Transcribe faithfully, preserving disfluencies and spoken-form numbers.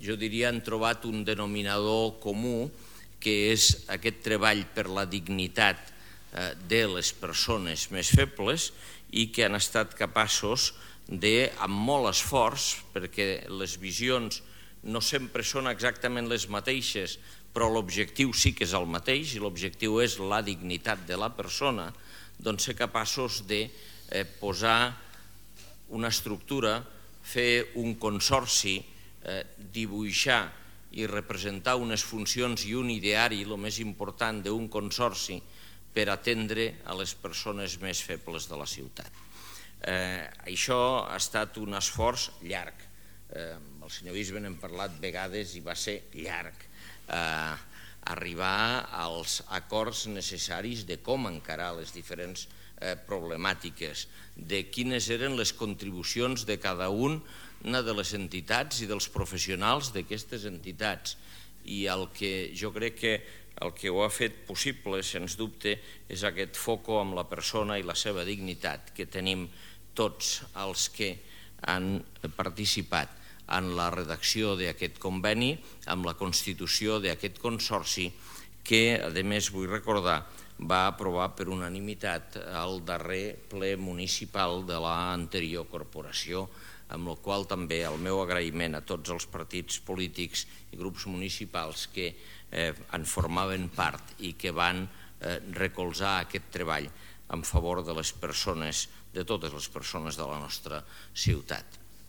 jo diria, han trobat un denominador comú, que és aquest treball per la dignitat de les persones més febles i que han estat capaços de, amb molt esforç, perquè les visions no sempre són exactament les mateixes, però l'objectiu sí que és el mateix i l'objectiu és la dignitat de la persona, doncs ser capaços de posar una estructura, fer un consorci, dibuixar i representar unes funcions i un ideari, el més important d'un consorci, per atendre a les persones més febles de la ciutat. Això ha estat un esforç llarg. Amb el senyor bisbe n'hem parlat vegades i va ser llarg. Arribar als acords necessaris de com encarar les diferents problemàtiques, de quines eren les contribucions de cada una de les entitats i dels professionals d'aquestes entitats. I el que jo crec que el que ho ha fet possible, sens dubte, és aquest foco amb la persona i la seva dignitat que tenim tots els que han participat en la redacció d'aquest conveni, amb la constitució d'aquest consorci, que, a més, vull recordar, va aprovar per unanimitat el darrer ple municipal de l'anterior corporació, amb la qual també el meu agraïment a tots els partits polítics i grups municipals que en formaven part i que van recolzar aquest treball en favor de les persones, de totes les persones de la nostra ciutat.